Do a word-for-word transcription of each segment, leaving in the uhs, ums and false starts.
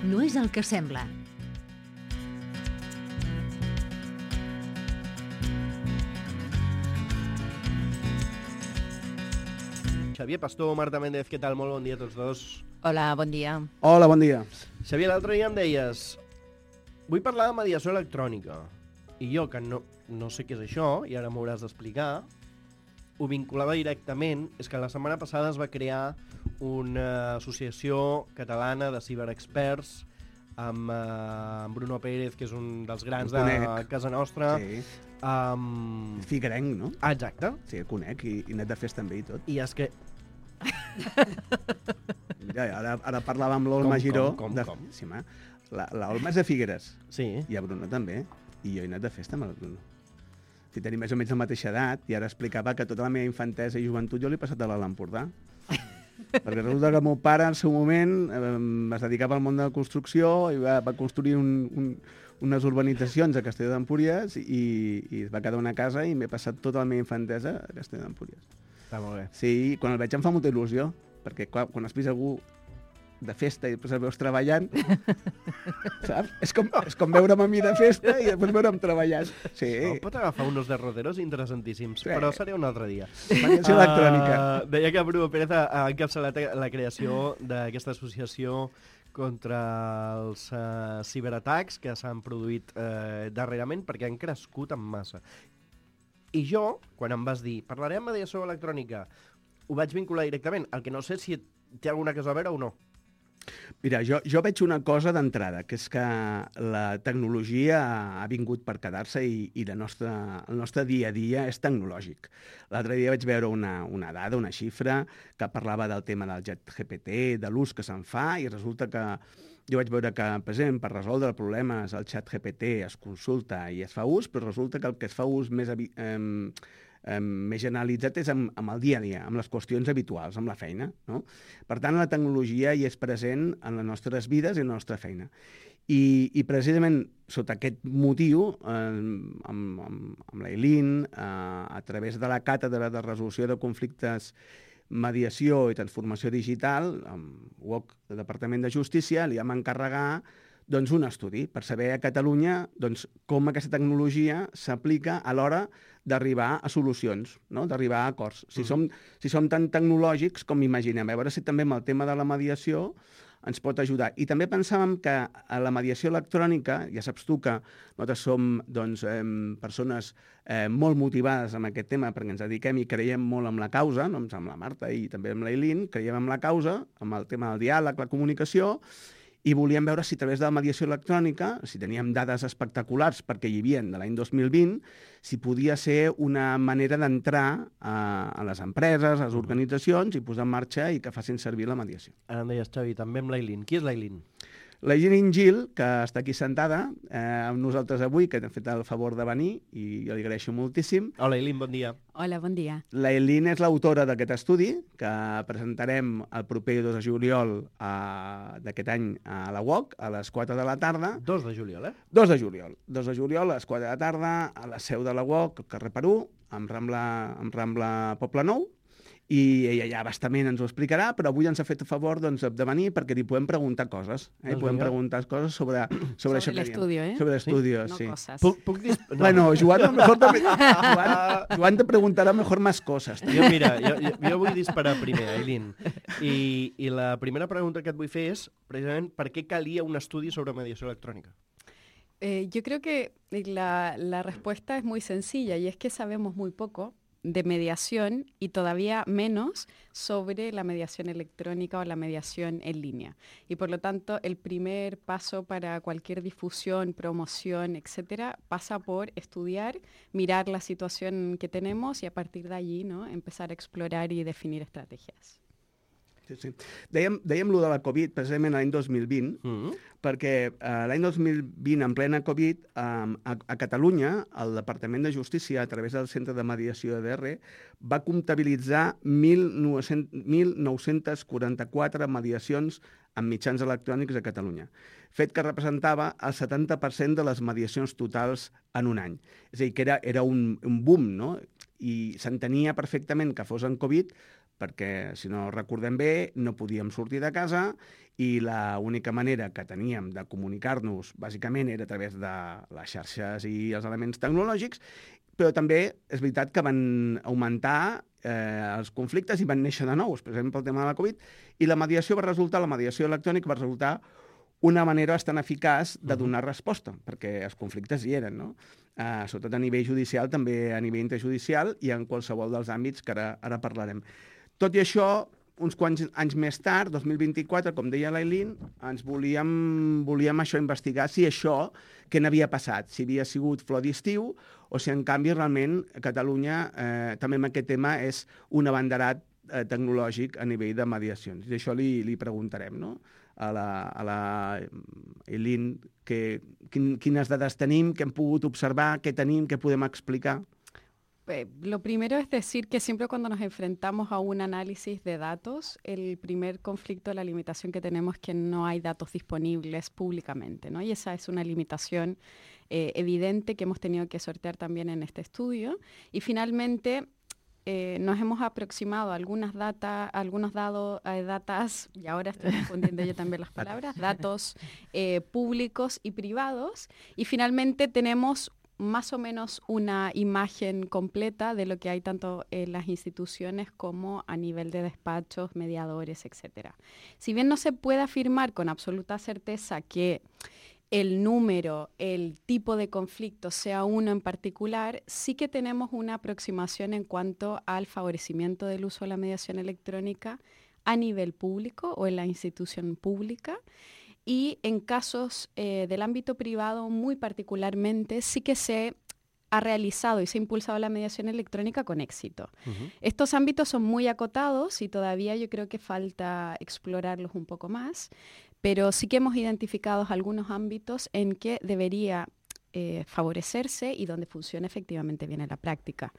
no és el que sembla. Xavier Pastor, Marta Méndez, què tal? Molt bon dia a tots dos. Hola, bon dia. Hola, bon dia. Xavier, l'altre dia em deies, vull parlar de mediació electrònica. I jo, que no, no sé què és això, i ara m'ho hauràs d'explicar, ho vinculava directament, és que la setmana passada es va crear una associació catalana de ciberexperts amb, uh, amb Bruno Pérez, que és un dels grans de casa nostra. Sí. Um... Figuerenc, no? Ah, exacte. Sí, el conec, i, i net de festa també i tot. I és que... Mira, ara, ara parlava amb l'Olma Giró. Com, com, de... com? Sí, ma. La, l'Olma és de Figueres. Sí. I a Bruno també. I jo he anat de festa amb el Bruno. Si tenim més o menys la mateixa edat, i ara explicava que tota la meva infantesa i joventut jo l'he passat a l'Alt Empordà. Perquè resulta que el meu pare, en el seu moment, eh, es dedicava al món de la construcció i va, va construir un, un, unes urbanitzacions a Castelló d'Empúries i, i es va quedar una casa i m'he passat tota la meva infantesa a Castelló d'Empúries. Està molt bé. Sí, quan el veig em fa molta il·lusió, perquè quan, quan has vist algú de festa i després el veus treballant, saps? És com, és com veure'm a mi de festa i després veure'm treballant. Sí. No, pot agafar uns derroteros interessantíssims, sí. Però seré un altre dia. Mediació uh, electrònica. Deia que Bruno Pérez ha encapçalat la creació d'aquesta associació contra els uh, ciberatacs que s'han produït uh, darrerament perquè han crescut en massa. I jo, quan em vas dir, parlarem de mediació electrònica, ho vaig vincular directament. El que no sé si té alguna cosa a veure o no. Mira, jo, jo veig una cosa d'entrada, que és que la tecnologia ha vingut per quedar-se i, i la nostra, el nostre dia a dia és tecnològic. L'altre dia vaig veure una, una dada, una xifra, que parlava del tema del Chat G P T, de l'ús que se'n fa, i resulta que jo vaig veure que, per exemple, per resoldre problemes, el Chat G P T es consulta i es fa ús, però resulta que el que es fa ús més... Eh, Eh, més generalitzat és amb, amb el dia a dia, amb les qüestions habituals, amb la feina. No? Per tant, la tecnologia hi és present en les nostres vides i en la nostra feina. I, i precisament sota aquest motiu, eh, amb, amb, amb l'Eileen, eh, a través de la Càtedra de Resolució de Conflictes, Mediació i Transformació Digital, amb U O C del Departament de Justícia, li vam encarregar doncs, un estudi per saber a Catalunya doncs, com aquesta tecnologia s'aplica a l'hora d'arribar a solucions, no? D'arribar a acords. Si, mm. som, si som tan tecnològics com imaginem, a veure si també amb el tema de la mediació ens pot ajudar. I també pensàvem que a la mediació electrònica, ja saps tu que nosaltres som doncs, eh, persones eh, molt motivades amb aquest tema perquè ens dediquem i creiem molt en la causa, no? Amb la Marta i també amb l'Eileen, creiem en la causa, amb el tema del diàleg, la comunicació, i volíem veure si a través de la mediació electrònica, si teníem dades espectaculars perquè hi havia de l'any dos mil vint, si podia ser una manera d'entrar a, a les empreses, a les organitzacions i posar en marxa i que facin servir la mediació. Ara em deies, Xavi, també amb l'Eileen. Qui és l'Eileen? L'Eileen Gil, que està aquí sentada eh, amb nosaltres avui, que t'ha fet el favor de venir i jo li agraeixo moltíssim. Hola, Eileen, bon dia. Hola, bon dia. L'Eileen és l'autora d'aquest estudi que presentarem el proper dos de juliol eh, d'aquest any a la U O C a les quatre de la tarda. dos de juliol, eh? dos de juliol. dos de juliol a les quatre de la tarda a la seu de la U O C, al carrer Perú, amb Rambla, amb Rambla Poblenou. I ella ja bastament ens ho explicarà, però avui ens ha fet a favor doncs, de venir perquè li podem preguntar coses. Eh? Doncs podem vinga. preguntar coses sobre, sobre, sobre això que l'estudio, eh? Sobre l'estudio, No sí. coses. Puc, puc dir... No. Bueno, Joan, a lo mejor també... Joan, Joan te preguntarà mejor más cosas. Jo, mira, jo, jo, jo vull disparar primer, Eileen. I, I la primera pregunta que et vull fer és, precisament, per què calia un estudi sobre mediació electrònica? Eh, yo creo que la, la respuesta es muy sencilla y es que sabemos muy poco de mediación y todavía menos sobre la mediación electrónica o la mediación en línea. Y por lo tanto, el primer paso para cualquier difusión, promoción, etcétera, pasa por estudiar, mirar la situación que tenemos y a partir de allí, ¿no?, empezar a explorar y definir estrategias. Sí, sí. Dèiem, dèiem lo de la Covid precisament l'any dos mil vint, mm-hmm. perquè eh, l'any dos mil vint, en plena Covid, eh, a, a Catalunya, el Departament de Justícia, a través del Centre de Mediació de D R, va comptabilitzar mil nou-cents quaranta-quatre mediacions amb mitjans electrònics a Catalunya, fet que representava el setanta per cent de les mediacions totals en un any. És a dir, que era, era un, un boom, no? I s'entenia perfectament que fos en Covid perquè, si no recordem bé, no podíem sortir de casa i l'única manera que teníem de comunicar-nos, bàsicament, era a través de les xarxes i els elements tecnològics, però també és veritat que van augmentar eh, els conflictes i van néixer de nous, per exemple, el tema de la Covid, i la mediació va resultar, la mediació electrònica va resultar una manera bastant eficaç de donar resposta, perquè els conflictes hi eren, no? Uh, sobretot a nivell judicial, també a nivell interjudicial i en qualsevol dels àmbits que ara, ara parlarem. Tot i això, uns quants anys més tard, dos mil vint-i-quatre, com deia l'Aileen, ens volíem, volíem això investigar si això, què n'havia passat, si havia sigut flor d'estiu o si en canvi realment Catalunya eh, també en aquest tema és un abanderat eh, tecnològic a nivell de mediacions. I això li, li preguntarem, no? a la, a la Aileen, que, quin, quines dades tenim, què hem pogut observar, què tenim, què podem explicar. Eh, lo primero es decir que siempre cuando nos enfrentamos a un análisis de datos, el primer conflicto, la limitación que tenemos es que no hay datos disponibles públicamente, ¿no? Y esa es una limitación eh, evidente que hemos tenido que sortear también en este estudio. Y finalmente eh, nos hemos aproximado a algunas data, algunos dados, eh, datas, y ahora estoy confundiendo yo también las palabras, datos eh, públicos y privados, y finalmente tenemos más o menos una imagen completa de lo que hay tanto en las instituciones como a nivel de despachos, mediadores, etcétera. Si bien no se puede afirmar con absoluta certeza que el número, el tipo de conflicto sea uno en particular, sí que tenemos una aproximación en cuanto al favorecimiento del uso de la mediación electrónica a nivel público o en la institución pública. Y en casos eh, del ámbito privado, muy particularmente, sí que se ha realizado y se ha impulsado la mediación electrónica con éxito. Uh-huh. Estos ámbitos son muy acotados y todavía yo creo que falta explorarlos un poco más, pero sí que hemos identificado algunos ámbitos en que debería eh, favorecerse y donde funciona efectivamente bien en la práctica.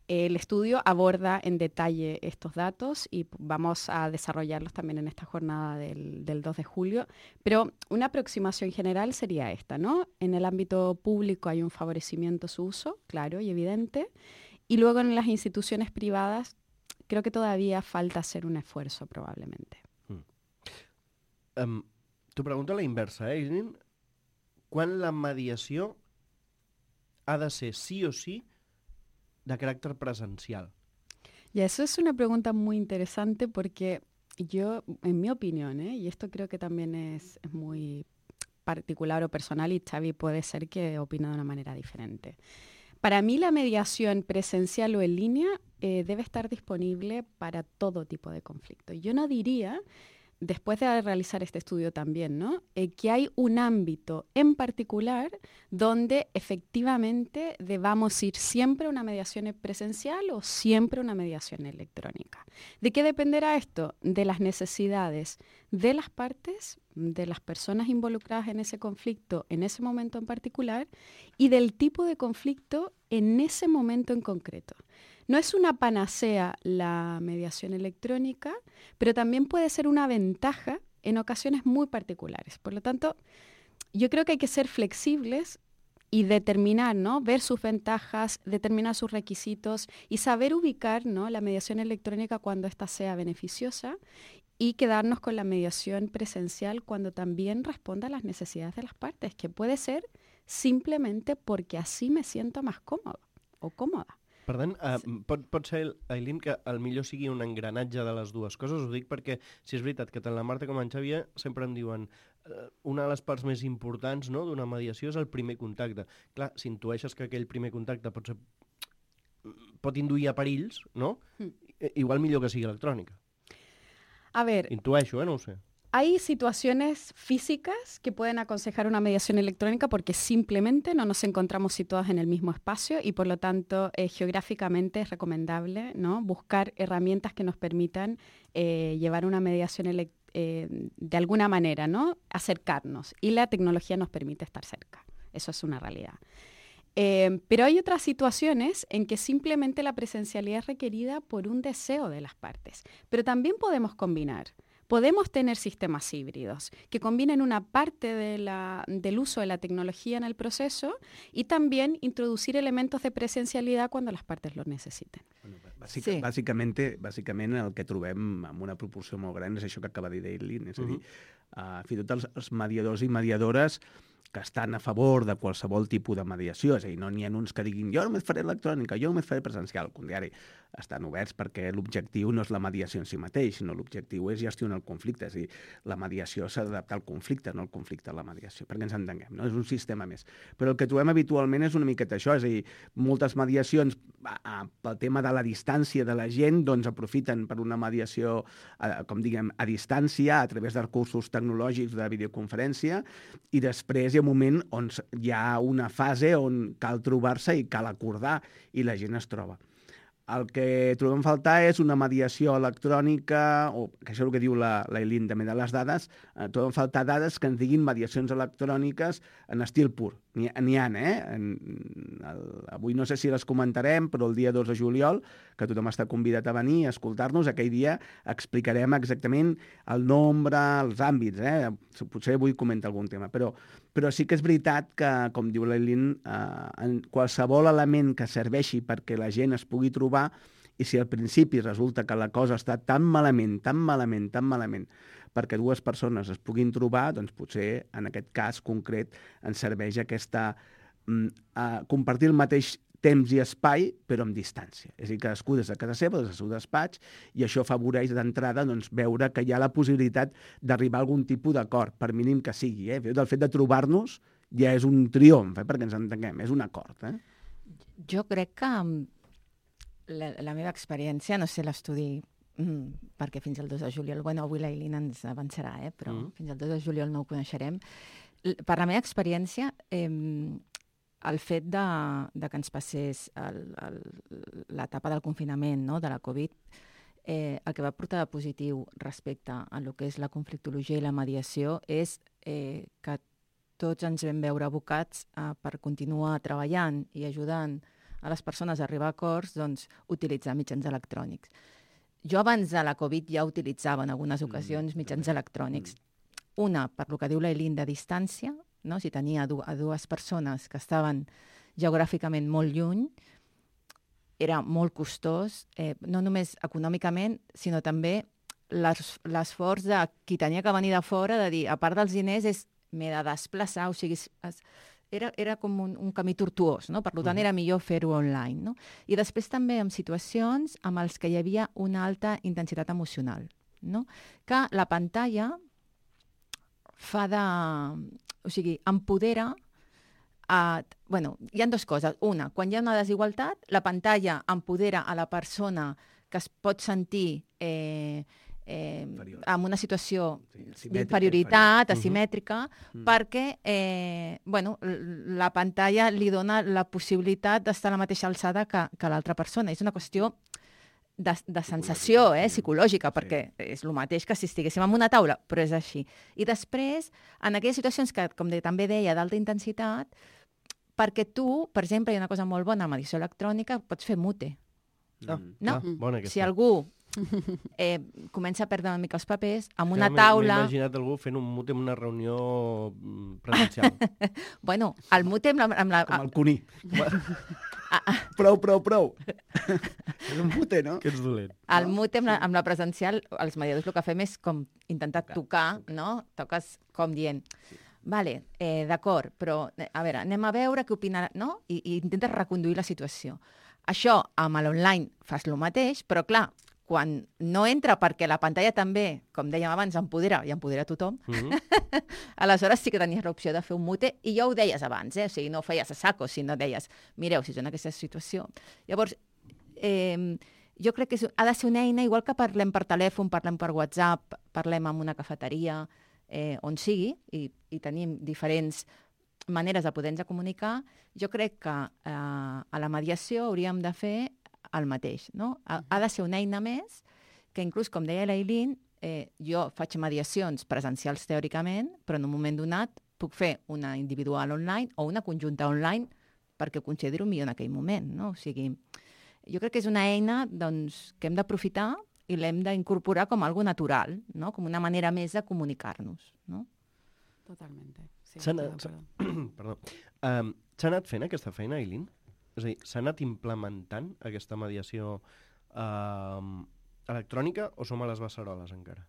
El estudio aborda en detalle estos datos y vamos a desarrollarlos también en esta jornada del, del dos de julio, pero una aproximación general sería esta, ¿no? En el ámbito público hay un favorecimiento a su uso, claro y evidente, y luego en las instituciones privadas creo que todavía falta hacer un esfuerzo probablemente. Mm. Um, T'ho pregunto a la inversa, eh, Aileen? Quan la mediació ha de ser sí o sí de carácter presencial? Y eso es una pregunta muy interesante porque yo, en mi opinión, ¿eh? y esto creo que también es, es muy particular o personal y Xavi puede ser que opine de una manera diferente. Para mí la mediación presencial o en línea eh, debe estar disponible para todo tipo de conflicto. Yo no diría, después de realizar este estudio también, ¿no? Eh, que hay un ámbito en particular donde efectivamente debamos ir siempre a una mediación presencial o siempre a una mediación electrónica. ¿De qué dependerá esto? De las necesidades de las partes, de las personas involucradas en ese conflicto en ese momento en particular y del tipo de conflicto en ese momento en concreto. No es una panacea la mediación electrónica, pero también puede ser una ventaja en ocasiones muy particulares. Por lo tanto, yo creo que hay que ser flexibles y determinar, ¿no? Ver sus ventajas, determinar sus requisitos y saber ubicar, ¿no? la mediación electrónica cuando ésta sea beneficiosa y quedarnos con la mediación presencial cuando también responda a las necesidades de las partes, que puede ser simplemente porque así me siento más cómodo o cómoda. Per tant, uh, pot, pot ser, Aileen, que al millor sigui un engranatge de les dues coses. Ho dic perquè, si és veritat que tant la Marta com en Xavier sempre em diuen uh, una de les parts més importants, no?, d'una mediació és el primer contacte. Clar, si intueixes que aquell primer contacte pot ser, pot induir a perills, no? Mm. Igual millor que sigui electrònica. A ver... Intueixo, eh? No ho sé. Hay situaciones físicas que pueden aconsejar una mediación electrónica porque simplemente no nos encontramos situados en el mismo espacio y por lo tanto eh, geográficamente es recomendable, ¿no?, buscar herramientas que nos permitan eh, llevar una mediación electrónica eh, de alguna manera, ¿no?, acercarnos, y la tecnología nos permite estar cerca. Eso es una realidad. Eh, pero hay otras situaciones en que simplemente la presencialidad es requerida por un deseo de las partes, pero también podemos combinar. Podemos tener sistemas híbridos que combinen una parte de la, del uso de la tecnología en el proceso y también introducir elementos de presencialidad cuando las partes lo necesiten. Bueno, Bàsic, Sí. bàsicament, bàsicament el que trobem amb una proporció molt gran és això que acaba de dir Eileen, és a dir, uh, fins i tot els, els mediadors i mediadores que estan a favor de qualsevol tipus de mediació, és a dir, no n'hi ha uns que diguin jo només faré electrònica, jo només faré presencial, al contrari, estan oberts perquè l'objectiu no és la mediació en si mateix, sinó l'objectiu és gestionar el conflicte, és a dir, la mediació s'ha d'adaptar al conflicte, no el conflicte a la mediació, perquè ens entenguem, no? És un sistema més. Però el que trobem habitualment és una miqueta això, és a dir, moltes mediacions, pel tema de la distància de la gent, doncs aprofiten per una mediació, com diguem, a distància, a través de recursos tecnològics de videoconferència, i després hi ha un moment on hi ha una fase on cal trobar-se i cal acordar, i la gent es troba. El que trobem a faltar és una mediació electrònica, o que això és el que diu l'Eileen també de les dades, eh, trobem a faltar dades que ens diguin mediacions electròniques en estil pur. N'hi ha, eh? En, el, avui no sé si les comentarem, però el dia dos de juliol, que tothom està convidat a venir a escoltar-nos, aquell dia explicarem exactament el nombre, els àmbits, eh? Potser avui comenta algun tema, però, però sí que és veritat que, com diu l'Eileen, eh, en qualsevol element que serveixi perquè la gent es pugui trobar, i si al principi resulta que la cosa està tan malament, tan malament, tan malament, perquè dues persones es puguin trobar, doncs potser en aquest cas concret ens serveix aquesta mm, uh, compartir el mateix temps i espai, però amb distància. És a dir, cadascú des de casa seva, des del seu despatx, i això afavoreix d'entrada doncs, veure que hi ha la possibilitat d'arribar a algun tipus d'acord, per mínim que sigui. Eh? El fet de trobar-nos ja és un triomf, eh? perquè ens entenguem, és un acord. Eh? Jo crec que la, la meva experiència, no sé l'estudi, mm, perquè fins al dos de juliol, bueno, avui l'Eileen ens avançarà, eh, però mm. fins al dos de juliol no ho coneixerem. L- Per la meva experiència, eh, el fet de, de que ens passés el, el, l'etapa del confinament, no?, de la Covid, eh, el que va portar de positiu respecte a lo que és la conflictologia i la mediació és eh, que tots ens vam veure abocats eh, per continuar treballant i ajudant a les persones a arribar a acords, doncs, utilitzar mitjans electrònics. Jo abans de la Covid ja utilitzava en algunes ocasions mitjans electrònics. Una, per lo que diu l'Eileen, de distància, no? Si tenia du- a dues persones que estaven geogràficament molt lluny, era molt costós, eh, no només econòmicament, sinó també l'es- l'esforç de qui tenia que venir de fora, de dir, a part dels diners, és m'he de desplaçar, o sigui, es, es, era, era com un, un camí tortuós, no? Per tant, era millor fer-ho online, no? I després també en situacions amb els que hi havia una alta intensitat emocional, no? Que la pantalla fa de... O sigui, empodera... A, bueno, hi ha dues coses. Una, quan hi ha una desigualtat, la pantalla empodera a la persona que es pot sentir eh, eh, en una situació Sí, d'inferioritat, inferior. asimètrica, Mhm. perquè eh, bueno, l- la pantalla li dona la possibilitat d'estar a la mateixa alçada que, que l'altra persona. És una qüestió de, de sensació, eh, sí. psicològica, Sí. perquè és el mateix que si estiguéssim en una taula, però és així. I després, en aquelles situacions que, com de, també deia, d'alta intensitat, perquè tu, per exemple, hi ha una cosa molt bona amb edició electrònica, pots fer mute. Ah, No. ah, bona aquesta. Si algú eh, comença a perdre una mica els papers, amb una Ja m'he- taula... M'he imaginat algú fent un mute en una reunió mm, presencial. Bueno, el mute amb la... Amb la Com el cuní. Ah, ah. Prou, prou, prou. És un pute, no? que ets dolent. El mute amb la, amb la presencial, els mediadors el que fem és com intentar tocar, no? Toques com dient, vale, eh, d'acord, però eh, a veure, anem a veure què opinarà, no? I, i intentes reconduir la situació. Això amb l'online fas el mateix, però clar, quan no entra perquè la pantalla també, com dèiem abans, empodera i empodera tothom, Mm -hmm. aleshores sí que tenies l'opció de fer un mute i ja ho deies abans, eh? O sigui, no ho feies a saco, sinó deies, mireu, si és en aquesta situació. Llavors, eh, jo crec que és, ha de ser una eina, igual que parlem per telèfon, parlem per WhatsApp, parlem en una cafeteria, eh, on sigui, i, i tenim diferents maneres de poder-nos comunicar, jo crec que eh, a la mediació hauríem de fer el mateix, no? Ha, ha de ser una eina més que inclús, com deia l'Eileen, eh, jo faig mediacions presencials teòricament, però en un moment donat puc fer una individual online o una conjunta online perquè ho considero millor en aquell moment, no? O sigui, jo crec que és una eina doncs, que hem d'aprofitar i l'hem d'incorporar com algo natural, no? Com una manera més de comunicar-nos, no? Totalmente. Sí, S'ha estoy de anat, acuerdo. perdó. Um, s'ha anat fent aquesta feina, Eileen? És a dir, s'ha anat implementant aquesta mediació eh, electrònica o som a les beceroles encara?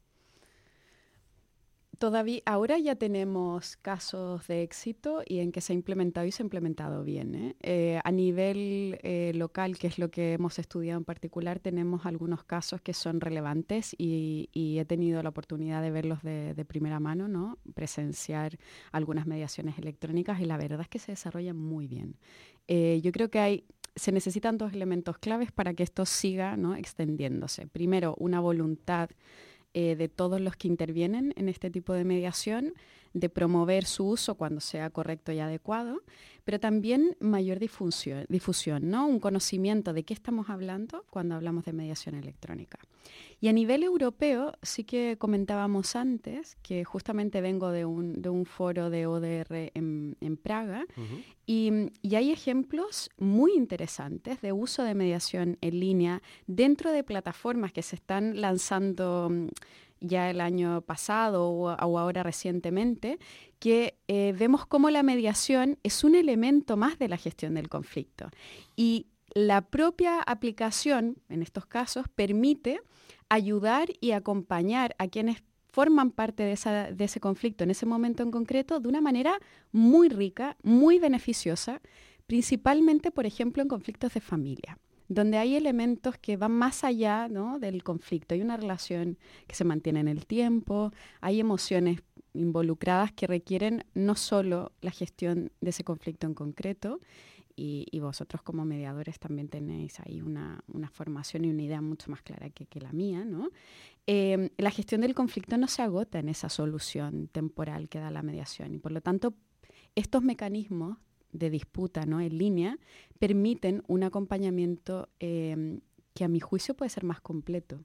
Todavía, ahora ya tenemos casos de éxito y en que se ha implementado y se ha implementado bien, ¿eh? Eh, a nivel eh, local, que es lo que hemos estudiado en particular, tenemos algunos casos que son relevantes y, y he tenido la oportunidad de verlos de, de primera mano, ¿no? Presenciar algunas mediaciones electrónicas y la verdad es que se desarrollan muy bien. Eh, yo creo que hay... Se necesitan dos elementos claves para que esto siga, ¿no? extendiéndose. Primero, una voluntad Eh, de todos los que intervienen en este tipo de mediación, de promover su uso cuando sea correcto y adecuado, pero también mayor difusión, difusión, ¿no? Un conocimiento de qué estamos hablando cuando hablamos de mediación electrónica. Y a nivel europeo, sí que comentábamos antes, que justamente vengo de un, de un foro de O D R en, en Praga, uh-huh. y, y hay ejemplos muy interesantes de uso de mediación en línea dentro de plataformas que se están lanzando ya el año pasado o, o ahora recientemente, que eh, vemos cómo la mediación es un elemento más de la gestión del conflicto. Y la propia aplicación, en estos casos, permite ayudar y acompañar a quienes forman parte de, esa, de ese conflicto en ese momento en concreto de una manera muy rica, muy beneficiosa, principalmente, por ejemplo, en conflictos de familia, donde hay elementos que van más allá, ¿no? del conflicto. Hay una relación que se mantiene en el tiempo, hay emociones involucradas que requieren no solo la gestión de ese conflicto en concreto, y, y vosotros como mediadores también tenéis ahí una, una formación y una idea mucho más clara que, que la mía, ¿no? Eh, la gestión del conflicto no se agota en esa solución temporal que da la mediación, y por lo tanto estos mecanismos de disputa, ¿no? en línea permiten un acompanyament eh, que a mi juicio puede ser más completo.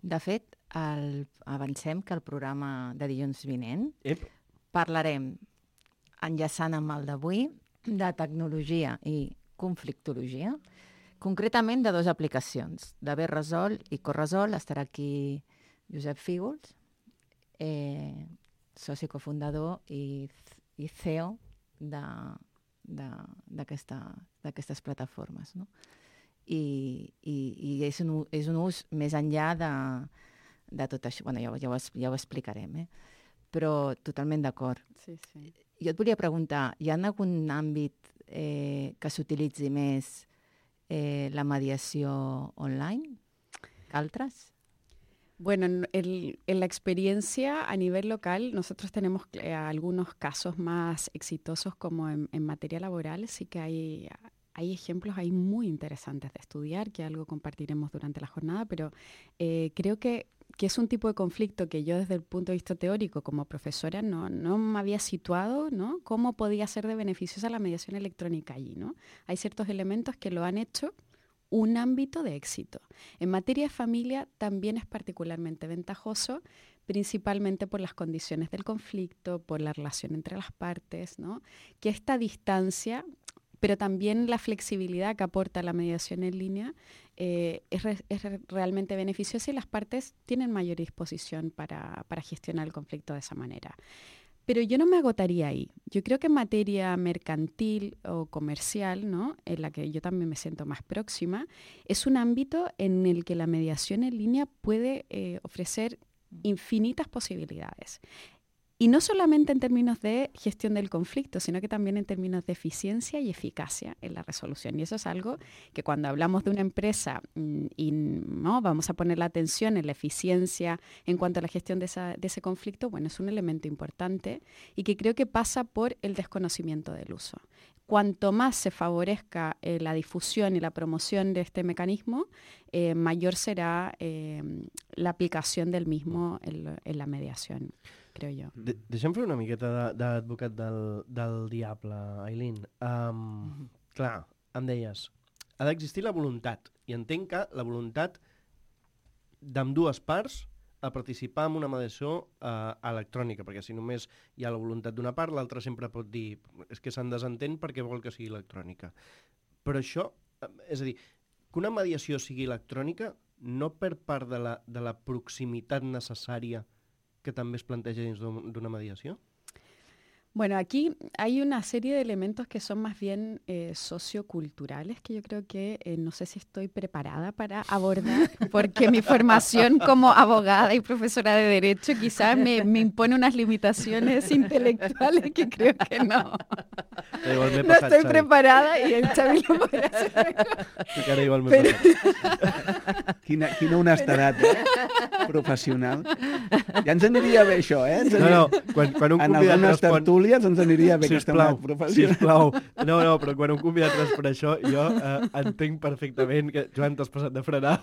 De fet, el, avancem que el programa de dilluns vinent Ep. parlarem, enllaçant amb el d'avui, de tecnologia i conflictologia, concretament de dues aplicacions, d'haver resolt i corresol. Estarà aquí Josep Fígols, eh, soci cofundador i, i C E O de d'aquestes plataformes, no? I, i, i és, un, és un ús més enllà de, de tot això. Bueno, ja, ja, ho, ja ho explicarem, eh? Però totalment d'acord. Sí, sí. Jo et volia preguntar, hi ha algun àmbit eh, que s'utilitzi més eh, la mediació online que altres? Bueno, en, el, en la experiencia a nivel local, nosotros tenemos eh, algunos casos más exitosos como en, en materia laboral. Sí que hay, hay ejemplos ahí muy interesantes de estudiar, que algo compartiremos durante la jornada, pero eh, creo que, que es un tipo de conflicto que yo desde el punto de vista teórico como profesora no, no me había situado, ¿no? Cómo podía ser de beneficiosa la mediación electrónica allí, ¿no? Hay ciertos elementos que lo han hecho un ámbito de éxito. En materia de familia también es particularmente ventajoso, principalmente por las condiciones del conflicto, por la relación entre las partes, ¿no? Que esta distancia, pero también la flexibilidad que aporta la mediación en línea eh, es, re, es re, realmente beneficiosa y las partes tienen mayor disposición para, para gestionar el conflicto de esa manera. Pero yo no me agotaría ahí. Yo creo que en materia mercantil o comercial, ¿no? en la que yo también me siento más próxima, es un ámbito en el que la mediación en línea puede eh, ofrecer infinitas posibilidades. Y no solamente en términos de gestión del conflicto, sino que también en términos de eficiencia y eficacia en la resolución. Y eso es algo que cuando hablamos de una empresa y no vamos a poner la atención en la eficiencia en cuanto a la gestión de, esa, de ese conflicto, bueno, es un elemento importante y que creo que pasa por el desconocimiento del uso. Cuanto más se favorezca eh, la difusión y la promoción de este mecanismo, eh, mayor será eh, la aplicación del mismo en, en la mediación. Creo jo. De Deixa'm fer una miqueta d'advocat del, del diable, Aileen. Um, mm-hmm. Clar, em deies, ha d'existir la voluntat, i entenc que la voluntat d'ambdues parts a participar en una mediació uh, electrònica, perquè si només hi ha la voluntat d'una part, l'altra sempre pot dir és que se'n desentén perquè vol que sigui electrònica. Però això, és a dir, que una mediació sigui electrònica no per part de la, de la proximitat necessària que també es planteja dins d'una mediació? Bueno, aquí hay una serie de elementos que son más bien eh, socioculturales que yo creo que eh, no sé si estoy preparada para abordar, porque mi formación como abogada y profesora de Derecho quizás me, me impone unas limitaciones intelectuales que creo que no. Igual m'he No passat, estoy Xavi. preparada y el Xavi lo podrá hacer mejor. Sí que ara igual m'he Però- passat. Quina, quina honestedat, eh? Professional. Ja ens aniria bé això, eh? Ens No, aniria... no, quan, quan un En convidat algunes respon... tertúlies ens aniria bé aquesta Sisplau, honestedat professional. sisplau. No, no, però quan un convidat respon això, jo eh, entenc perfectament que, Joan, t'has passat de frenar.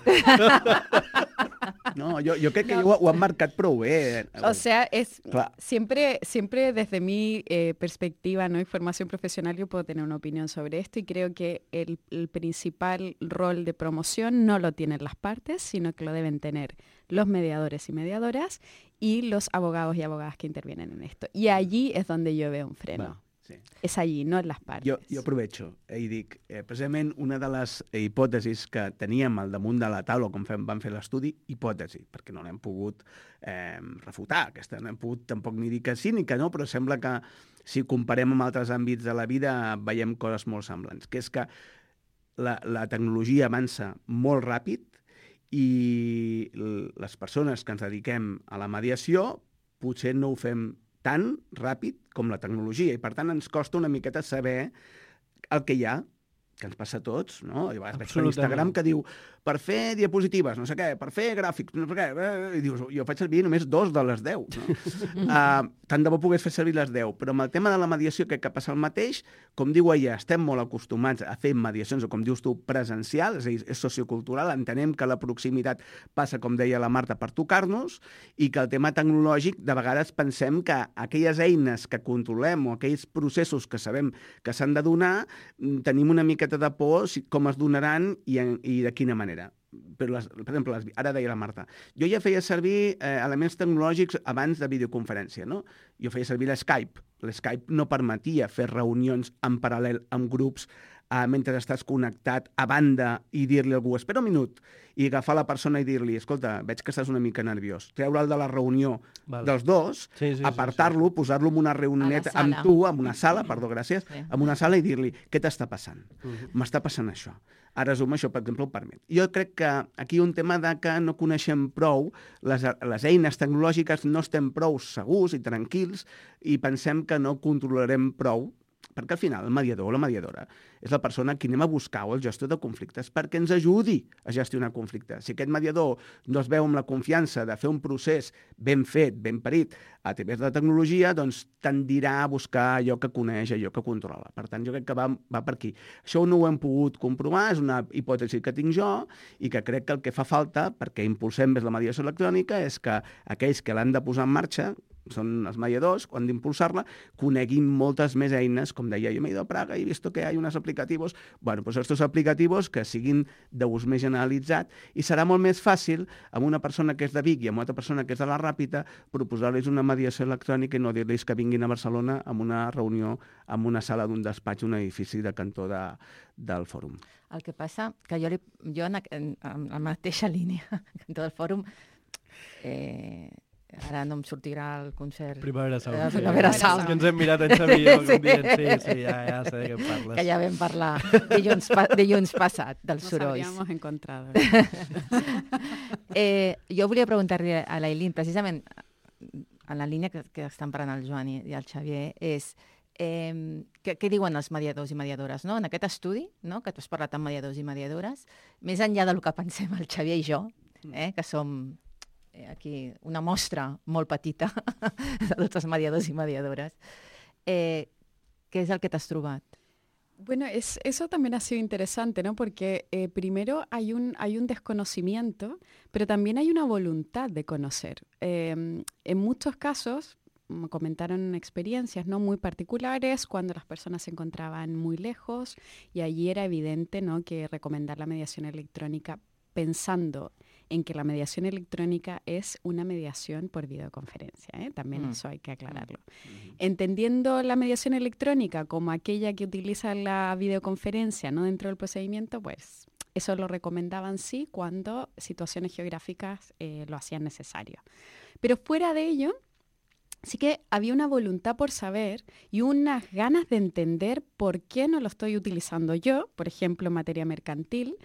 No, yo, yo creo que ho, ho han marcat prou bé. O sea, es Claro. siempre, siempre desde mi eh, perspectiva, ¿no? Y formación profesional, yo puedo tener una opinión sobre esto y creo que el, el principal rol de promoción no lo tienen las partes, sino que lo deben tener los mediadores y mediadoras y los abogados y abogadas que intervienen en esto. Y allí es donde yo veo un freno. Va, sí. Es allí, no en las partes. Jo, jo aprovecho eh, i dic, eh, precisament una de les hipòtesis que teníem al damunt de la taula quan fem, vam fer l'estudi, hipòtesi, perquè no l'hem pogut eh, refutar, aquesta no hem pogut tampoc ni dir que sí ni que no, però sembla que si comparem amb altres àmbits de la vida veiem coses molt semblants, que és que la, la tecnologia avança molt ràpid i les persones que ens dediquem a la mediació potser no ho fem tan ràpid com la tecnologia i per tant ens costa una miqueta saber el que hi ha, que ens passa a tots, no? I a vegades veig per Instagram que diu per fer diapositives, no sé què, per fer gràfics, no sé què, eh, i dius, jo faig servir només dos de les deu, no? uh, tant de bo pogués fer servir les deu, però amb el tema de la mediació crec que passa el mateix, com diu ella, estem molt acostumats a fer mediacions, o com dius tu, presencial, és a dir, és sociocultural, entenem que la proximitat passa, com deia la Marta, per tocar-nos, i que el tema tecnològic, de vegades pensem que aquelles eines que controlem o aquells processos que sabem que s'han de donar, tenim una miqueta de por si, com es donaran i, en, i de quina manera. Però les, per exemple, les, ara deia la Marta, jo ja feia servir eh, elements tecnològics abans de videoconferència, no? Jo feia servir l'Skype. L'Skype no permetia fer reunions en paral·lel amb grups eh, mentre estàs connectat a banda i dir-li a algú, espera un minut, i agafar la persona i dir-li, escolta, veig que estàs una mica nerviós, treure'l de la reunió Vale. dels dos, Sí, sí, sí, apartar-lo, posar-lo en una reunioneta A la amb sala. tu, en una sala, perdó, gràcies, Sí. en una sala i dir-li, què t'està passant? Mhm. M'està passant això. Ara Zoom això, per exemple, ho permet. Jo crec que aquí hi ha un tema de que no coneixem prou, les, les eines tecnològiques no estem prou segurs i tranquils i pensem que no controlarem prou, perquè al final el mediador o la mediadora és la persona a qui anem a buscar o el gestor de conflictes perquè ens ajudi a gestionar conflictes. Si aquest mediador no es veu amb la confiança de fer un procés ben fet, ben parit, a través de la tecnologia, doncs tendirà a buscar allò que coneix, allò que controla. Per tant, jo crec que va, va per aquí. Això no ho hem pogut comprovar, és una hipòtesi que tinc jo i que crec que el que fa falta, perquè impulsem més la mediació electrònica, és que aquells que l'han de posar en marxa, són els mediadors, quan d'impulsar-la, coneguin moltes més eines, com deia, jo m'he ido a Praga i he visto que hay unos aplicativos, bueno, pues estos aplicativos que siguin d'ús més generalitzat i serà molt més fàcil amb una persona que és de Vic i amb una altra persona que és de la Ràpita proposar-los una mediació electrònica i no dir-los que vinguin a Barcelona amb una reunió en una sala d'un despatx, un edifici de cantó de, del fòrum. El que passa que jo, li, jo en, en, en la mateixa línia que en tot el fòrum, eh, ara no em sortirà el concert. Primavera Sound. Eh, sí. Primavera Sound. Que ens hem mirat en Xavi i jo Sí. com dient, sí, sí, ja, ja sé de què parles. Que ja vam parlar dilluns, pa, dilluns passat dels Nos sorolls. habríamos encontrado. eh, jo volia preguntar-li a l'Ailín, precisament en la línia que, que estan parlant el Joan i, i el Xavier, és eh, què, què diuen els mediadors i mediadores, no? En aquest estudi, no? Que tu has parlat amb mediadors i mediadores, més enllà del que pensem el Xavier i jo, eh, que som eh, aquí una mostra molt petita de tots els mediadors i mediadores, eh, què és el que t'has trobat? Bueno, es, eso también ha sido interesante, ¿no? Porque eh, primero hay un, hay un desconocimiento, pero también hay una voluntad de conocer. Eh, en muchos casos, me comentaron experiencias, ¿no? Muy particulares, cuando las personas se encontraban muy lejos, y allí era evidente, ¿no? Que recomendar la mediación electrónica pensando en que la mediación electrónica es una mediación por videoconferencia, ¿eh? También mm. eso hay que aclararlo. Mm. Entendiendo la mediación electrónica como aquella que utiliza la videoconferencia, ¿no? Dentro del procedimiento, pues eso lo recomendaban sí cuando situaciones geográficas eh, lo hacían necesario. Pero fuera de ello, sí que había una voluntad por saber y unas ganas de entender por qué no lo estoy utilizando yo, por ejemplo, en materia mercantil,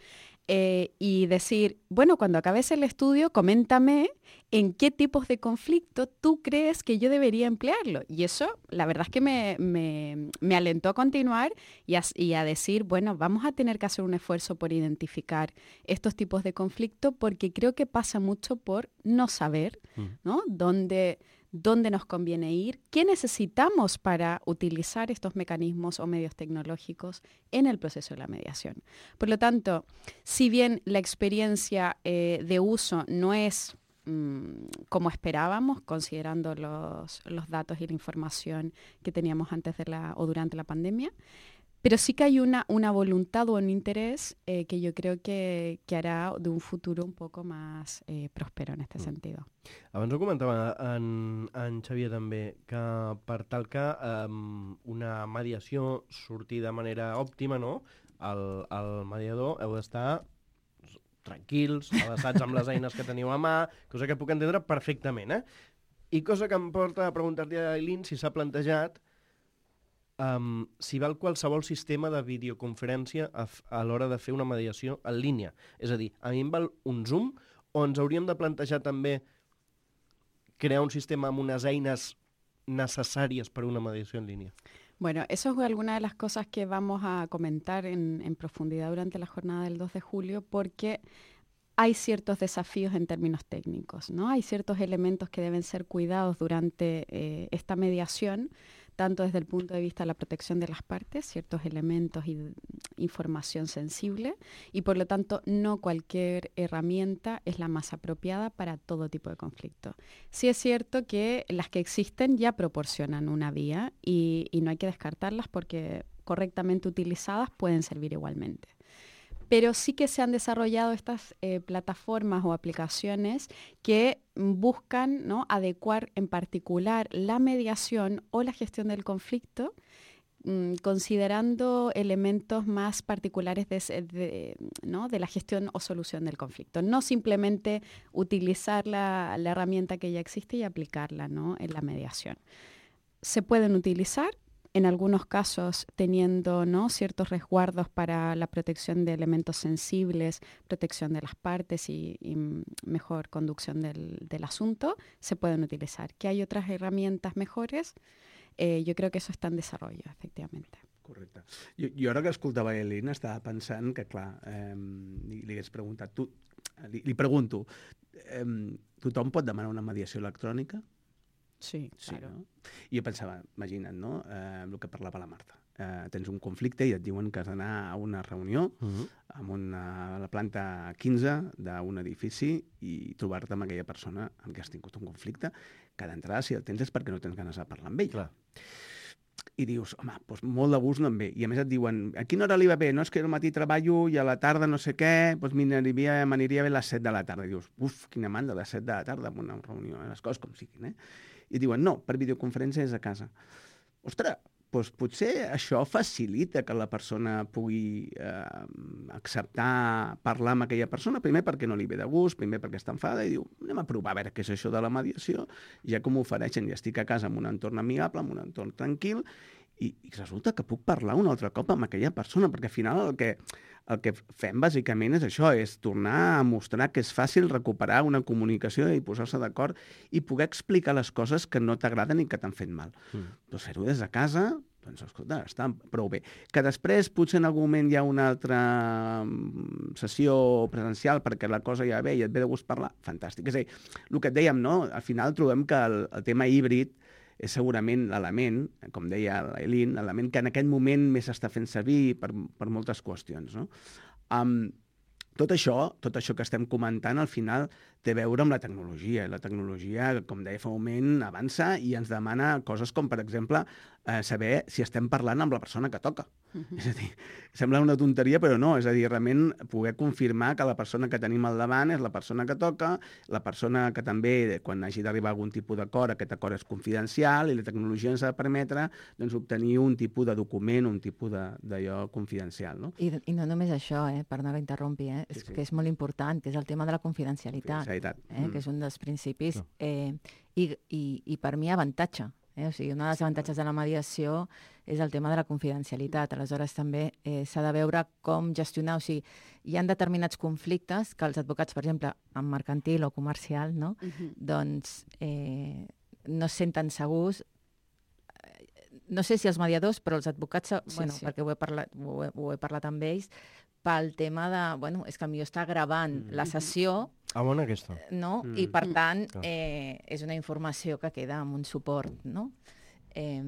eh, y decir, bueno, cuando acabes el estudio, coméntame en qué tipos de conflicto tú crees que yo debería emplearlo. Y eso, la verdad es que me, me, me alentó a continuar y a, y a decir, bueno, vamos a tener que hacer un esfuerzo por identificar estos tipos de conflicto, porque creo que pasa mucho por no saber, ¿no? Dónde... dónde nos conviene ir, qué necesitamos para utilizar estos mecanismos o medios tecnológicos en el proceso de la mediación. Por lo tanto, si bien la experiencia eh, de uso no es mmm, como esperábamos, considerando los, los datos y la información que teníamos antes de la, o durante la pandemia, pero sí que hay una, una voluntad o un interés eh, que jo crec que, que harà d'un futur un poc més eh, pròspero en aquest mm. sentit. Abans ho comentava en, en Xavier també, que per tal que um, una mediació surti de manera òptima, no? el, el mediador heu d'estar tranquils, avançats amb les eines que teniu a mà, cosa que puc entendre perfectament. Eh? I cosa que em porta a preguntar-li a Eileen si s'ha plantejat Um, si val qualsevol sistema de videoconferència a, a l'hora de fer una mediació en línia. És a dir, a mi em val un Zoom o ens hauríem de plantejar també crear un sistema amb unes eines necessàries per a una mediació en línia. Bueno, eso es alguna de las cosas que vamos a comentar en, en profundidad durante la jornada del dos de julio, porque hay ciertos desafíos en términos técnicos, ¿no? Hay ciertos elementos que deben ser cuidados durante eh, esta mediación, tanto desde el punto de vista de la protección de las partes, ciertos elementos y información sensible, y por lo tanto no cualquier herramienta es la más apropiada para todo tipo de conflicto. Sí es cierto que las que existen ya proporcionan una vía y, y no hay que descartarlas porque correctamente utilizadas pueden servir igualmente. Pero sí que se han desarrollado estas eh, plataformas o aplicaciones que buscan, ¿no?, adecuar en particular la mediación o la gestión del conflicto, mmm, considerando elementos más particulares de, de, ¿no?, de la gestión o solución del conflicto. No simplemente utilizar la, la herramienta que ya existe y aplicarla, ¿no?, en la mediación. Se pueden utilizar, en algunos casos teniendo, ¿no?, ciertos resguardos para la protección de elementos sensibles, protección de las partes y, y mejor conducción del, del asunto, se pueden utilizar. Que hay otras herramientas mejores, eh, jo crec que això està en desarrollo, efectivament. Correcte. Jo, jo ara que escoltava Eileen estava pensant que, clar, eh, li, li hagués preguntat, tu, li, li pregunto, eh, tothom pot demanar una mediació electrònica? Sí, sí, claro. No? I jo pensava, imagina't, no?, eh, el que parlava la Marta. Eh, tens un conflicte i et diuen que has d'anar a una reunió uh -huh. amb una, a la planta quinze d'un edifici i trobar-te amb aquella persona amb què has tingut un conflicte, que d'entrada, si el tens, és perquè no tens ganes de parlar amb ell. Clar. I dius, home, doncs molt de gust no em ve. I a més et diuen, a quina hora li va bé? No, és que al matí treballo i a la tarda no sé què, doncs m'aniria, m'aniria bé a les set de la tarda. I dius, uf, quina mandra, a les set de la tarda en una reunió, eh? Les coses com siguin, eh? I diuen, no, per videoconferència és a casa. Ostres, doncs potser això facilita que la persona pugui eh, acceptar parlar amb aquella persona, primer perquè no li ve de gust, primer perquè està enfada, i diu, anem a provar a veure què és això de la mediació, ja que m'ofereixen, ja estic a casa en un entorn amigable, en un entorn tranquil, i, i resulta que puc parlar un altre cop amb aquella persona, perquè al final el que, el que fem bàsicament és això, és tornar a mostrar que és fàcil recuperar una comunicació i posar-se d'acord i poder explicar les coses que no t'agraden i que t'han fet mal. Mm. Doncs fer-ho des de casa, doncs escolta, està prou bé. Que després potser en algun moment hi ha una altra sessió presencial perquè la cosa ja ve i et ve de gust parlar, fantàstic. És a dir, el que et dèiem, no?, al final trobem que el, el tema híbrid és segurament l'element, com deia l'Eileen, l'element que en aquest moment més s'està fent servir per, per moltes qüestions, no? Um, tot això, tot això que estem comentant, al final té a veure amb la tecnologia. La tecnologia, com deia fa un moment, avança i ens demana coses com, per exemple, eh, saber si estem parlant amb la persona que toca. Uh-huh. És a dir, sembla una tonteria, però no. És a dir, realment poder confirmar que la persona que tenim al davant és la persona que toca, la persona que també, quan hagi d'arribar a algun tipus d'acord, aquest acord és confidencial i la tecnologia ens ha de permetre doncs, obtenir un tipus de document, un tipus d'allò confidencial. No? I, I no només això, eh, per no l'interrompi, eh, és sí, sí. que és molt important, que és el tema de la confidencialitat, confidencialitat. Eh, mm. que és un dels principis, no. eh, i, i, i per mi avantatge. Eh? O sigui, un dels avantatges de la mediació és el tema de la confidencialitat. Aleshores, també eh, s'ha de veure com gestionar. O sigui, hi ha determinats conflictes que els advocats, per exemple, en mercantil o comercial, no? Uh-huh. doncs eh, no es senten segurs. No sé si els mediadors, però els advocats, sí, bueno, sí. perquè ho he, parlat, ho, he, ho he parlat amb ells, pel tema de, bueno, és que potser està gravant mm. la sessió, ah, bona aquesta. No? Mm. I per tant eh, és una informació que queda amb un suport, no? Eh,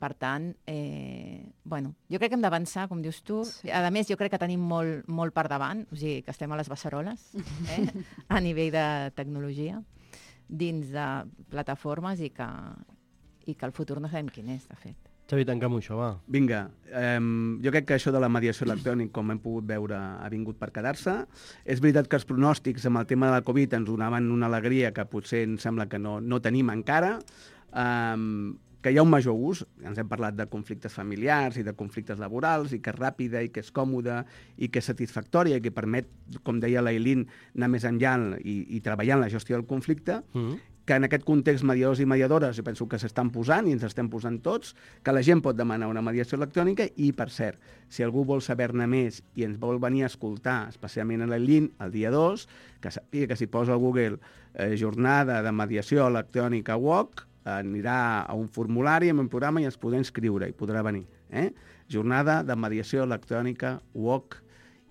per tant, eh, bueno, jo crec que hem d'avançar, com dius tu. Sí. A més, jo crec que tenim molt, molt per davant, o sigui, que estem a les beceroles, eh? a nivell de tecnologia, dins de plataformes i que, i que el futur no sabem quin és, de fet. Xavi, tanca'm això, va. Vinga, eh, jo crec que això de la mediació electrònica, com hem pogut veure, ha vingut per quedar-se. És veritat que els pronòstics amb el tema de la Covid ens donaven una alegria que potser em sembla que no, no tenim encara, eh, que hi ha un major ús, ens hem parlat de conflictes familiars i de conflictes laborals, i que és ràpida, i que és còmoda, i que és satisfactòria, i que permet, com deia l'Ailín, anar més enllà i, i treballar en la gestió del conflicte, mm. que en aquest context mediadors i mediadores jo penso que s'estan posant, i ens estem posant tots, que la gent pot demanar una mediació electrònica, i, per cert, si algú vol saber-ne més i ens vol venir a escoltar, especialment a l'Ailín, el dia dos, que sàpiga que si posa al Google eh, jornada de mediació electrònica W O C, anirà a un formulari amb un programa i ens podrà inscriure i podrà venir. Eh? Jornada de mediació electrònica W O C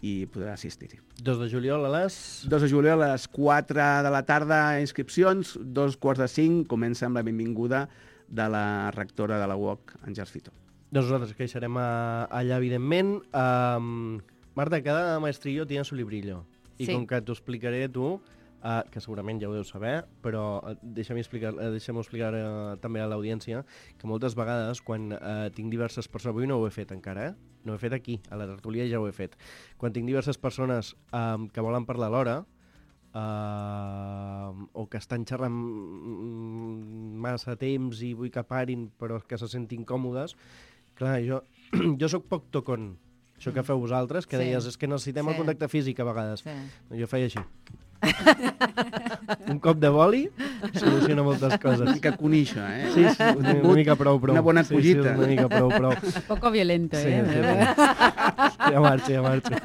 i podrà assistir-hi. dos de juliol a les... dos de juliol a les quatre de la tarda, inscripcions, dos quarts de cinc, comença amb la benvinguda de la rectora de la W O C, Àngels Fito. Doncs nosaltres que hi serem allà, evidentment. Um, Marta, cada maestrillo tiene su librillo. I sí. com que t'ho explicaré tu, Uh, que segurament ja ho deu saber, però uh, deixa'm explicar, uh, deixa'm explicar uh, també a l'audiència que moltes vegades quan uh, tinc diverses persones, avui no ho he fet encara, eh? no ho he fet aquí, a la tertúlia ja ho he fet, quan tinc diverses persones um, que volen parlar alhora uh, o que estan xerrant massa temps i vull que parin però que se sentin còmodes, clar, jo, jo sóc poc tocon, això que feu vosaltres, que sí. deies, és que necessitem sí. el contacte físic a vegades. Sí. Jo feia així. Un cop de boli soluciona moltes coses. Una mica conixa, eh? Sí, sí, una, una mica prou, prou. Una bona collita. Sí, sí, una mica prou, prou. Poco violento, sí, eh? Sí, sí. Ja marxa, ja marxa.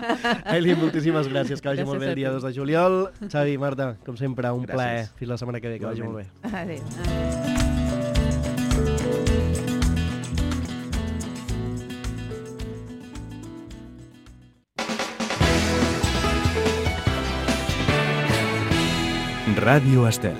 Ailín, moltíssimes gràcies, que vagi gràcies molt bé el dia dos de juliol. Xavi, Marta, com sempre, un gràcies. plaer. Fins la setmana que ve, que vagi molt bé. Adéu. Ràdio Estel.